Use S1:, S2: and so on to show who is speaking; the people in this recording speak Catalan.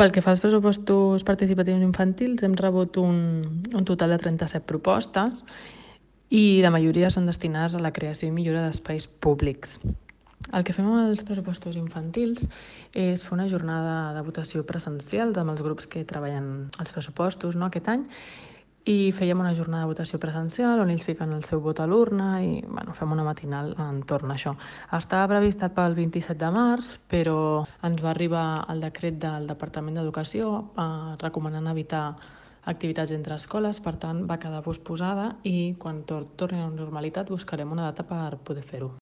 S1: Pel que fa als pressupostos participatius infantils, hem rebut un total de 37 propostes i la majoria són destinades a la creació i millora d'espais públics. El que fem amb els pressupostos infantils és fer una jornada de votació presencial amb els grups que treballen els pressupostos aquest any, i fèiem una jornada de votació presencial on ells fiquen el seu vot a l'urna i fem una matinal entorn a això. Estava prevista pel 27 de març, però ens va arribar el decret del Departament d'Educació recomanant evitar activitats entre escoles, per tant va quedar posposada i quan torni a la normalitat buscarem una data per poder fer-ho.